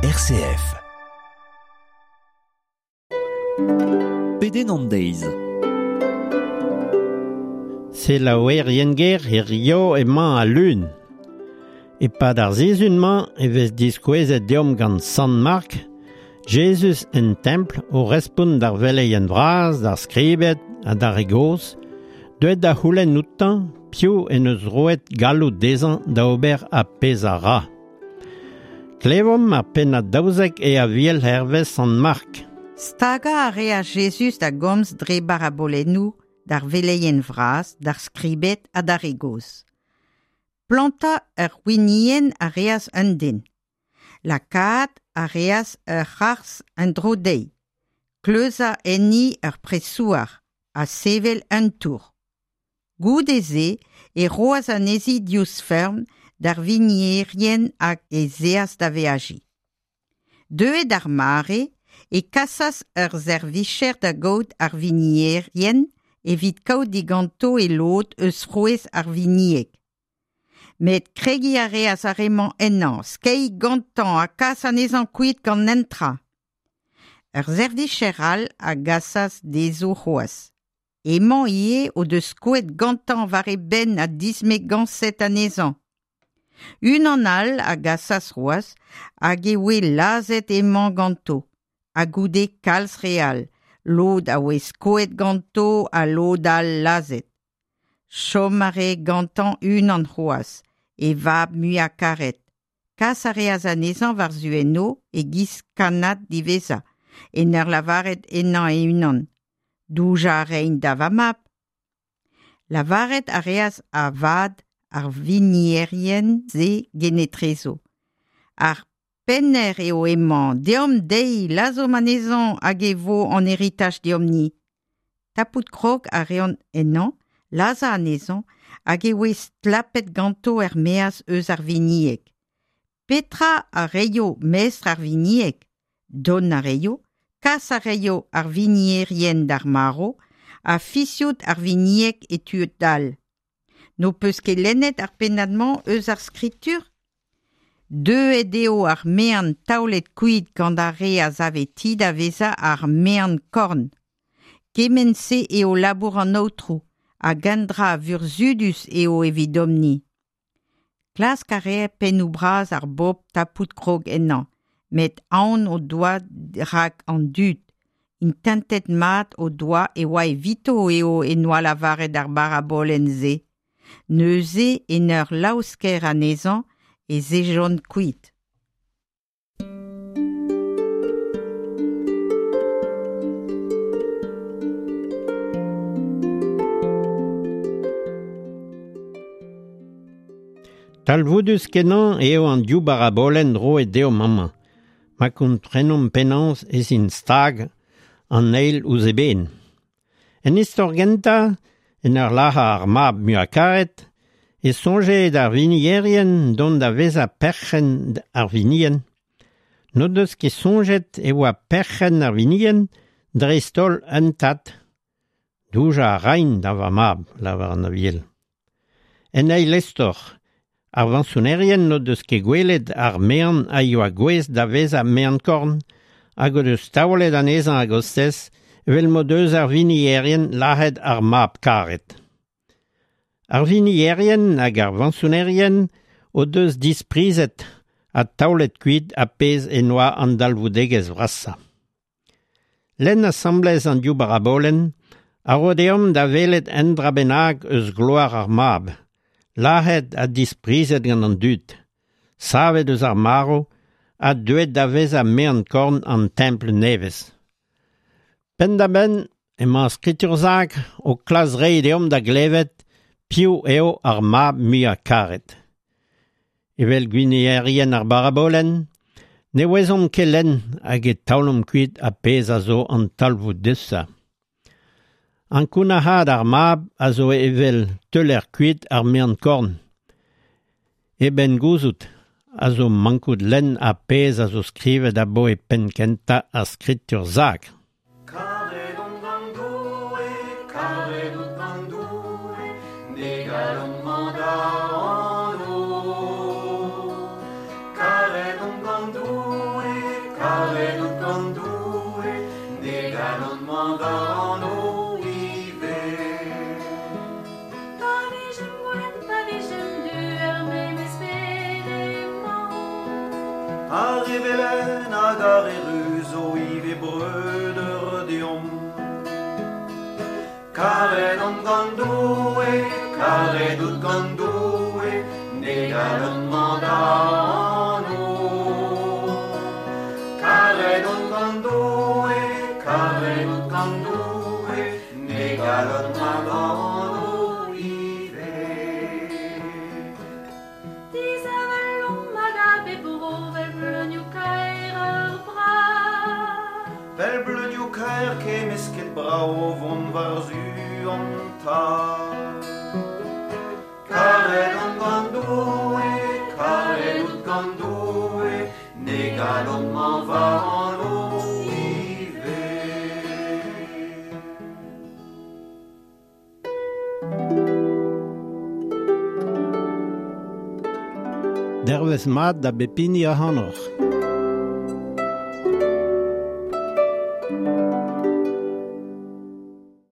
RCF. Pedenn an deiz. Selaouerien ger hirio emañ al lun. E-pad ar sizhun-mañ e vez diskouezet deomp gant Sant Mark, Jezuz en templ o respont d'ar veleien vras, d'ar skribed ha d'ar re gozh, deuet da c'houlenn outañ piv en deus roet galloud dezhañ da ober ar pezh a ra. Klevomp ar pennad 12 e Aviel hervez Sant Mark. Stagañ a reas Jezuz da gomz dre barabolennoù d'ar veleien vras, d'ar skribed ha d'ar re gozh. Plantañ ur winienn a reas un den. Lakaat a reas ur c'harzh en-dro dezhi, kleuzañ enni ur presouar ha sevel un tour. Goude-se e roas anezhi diouzh feurm d'ar winierien hag ez eas da veajiñ. Deuet ar mare e kasas ur servijer da gaout ar winierien evit kaout diganto e lod eus frouezh ar winieg. Met kregiñ a reas ar re-mañ ennañ, skeiñ gantañ ha kas anezhañ kuit gant netra. Ur servijer all a gasas dezho c'hoazh. Emañ ivez o deus skoet gantañ war e benn ha dismegañset anezhañ. Unan all a gasas c'hoazh hag e oe lazhet hemañ ganto, ha goude kalz re all, lod a oe skoet ganto ha lod all lazhet. Chom a rae gantañ unan c'hoazh, e vab muiañ-karet. Kas a reas anezhañ war-zu enno e-giz kannad diwezhañ, en ur lavaret ennañ e-unan: Doujañ a raint da va mab. Lavaret a reas avat ar winierien-se genetrezo. Ar penner eo hemañ, deomp dezhi, lazhomp anezhañ hag e vo an heritaj deomp-ni. Tapout krog a reont ennañ, lazhañ anezhañ hag e voe stlapet ganto er-maez eus ar winieg. Petra a reio mestr ar winieg? Dont a reio, kas a reio ar winierien d'ar marv ha fiziout ar winieg e tud all. N'ho peus ket lennet ar pennad-mañ eus ar skritur? Deuet eo ar maen taolet kuit gant ar re a save ti da vezañ ar maen-korn. Kement-se eo labour an Aotrou, hag un dra vurzhudus eo evidomp-ni. Klask a rae pennoù bras ar bobl tapout krog ennañ, met aon o doa rak an dud. Intentet mat o doa e oa evito eo en doa lavaret ar barabolenn-se. Neuze en ur laosker anezhañ ez ejont kuit. Talvoudus-kenañ eo an div barabolenn roet deomp amañ, ma komprenomp penaos ez int stag an eil ouzh eben. En istor gentañ, en ur lazhañ ar mab muiañ-karet, e soñje d'ar winierien dont da vezañ perc'henn ar winienn. N'o deus ket soñjet e oa perc'henn ar winienn dreist-holl un tad. Doujañ a raint da va mab, lavar an Aviel. En eil istor, ar vañsonerien n'o deus ket gwelet ar maen a yoa gouest da vezañ maen-korn hag o deus taolet anezhañ a-gostez evel m'o deus ar winierien lazhet ar mab karet. Ar winierien hag ar vañsonerien o deus disprizet ha taolet kuit ar pezh en doa an dalvoudegezh vrasañ. Lenn asambles an div barabolenn a ro deomp da welet un dra bennak eus gloar ar mab, lazhet ha disprizet gant an dud, savet eus ar marv ha deuet da vezañ maen-korn an templ nevez. Penn-da-benn emañ ar skritur-sakr o klask reiñ deomp da glevet piv eo ar mab muiañ-karet. Evel gwinierien ar barabolenn, ne ouezomp ket lenn hag e taolomp kuit ar pezh a zo an talvoudusañ. Ankounac'haat ar mab a zo evel teuler kuit ar maen-korn. E benn gouzout a zo mankout lenn ar pezh a zo skrivet aboe penn-kentañ ar skritur-sakr. Karet on gant Doue, karet out gant Doue, ne galon-mañ da anv. Karet on gant Doue, karet out gant Doue, ne galon mañ da anv ivez. Pa vijemp gwenn, pa vijemp du, er memes bed emañ. Ar re velen hag ar re ruz zo ivez breudeur deomp. Karet on gant Doue, karet out gant Doue, ne galon mañ da anv. Karet on gant Doue, karet out gant Doue, ne galon mañ da anv ivez. Disheñvel omp hag a bep bro 'vel bleunioù kaer ur brad. Vel bleunioù kaer kemmesket brav o vont war-zu an tad. Karet on gant Doue, karet out gant Doue, ne galon mañ va anv ivez. Dervezh mat da bep hini ac'hanoc'h.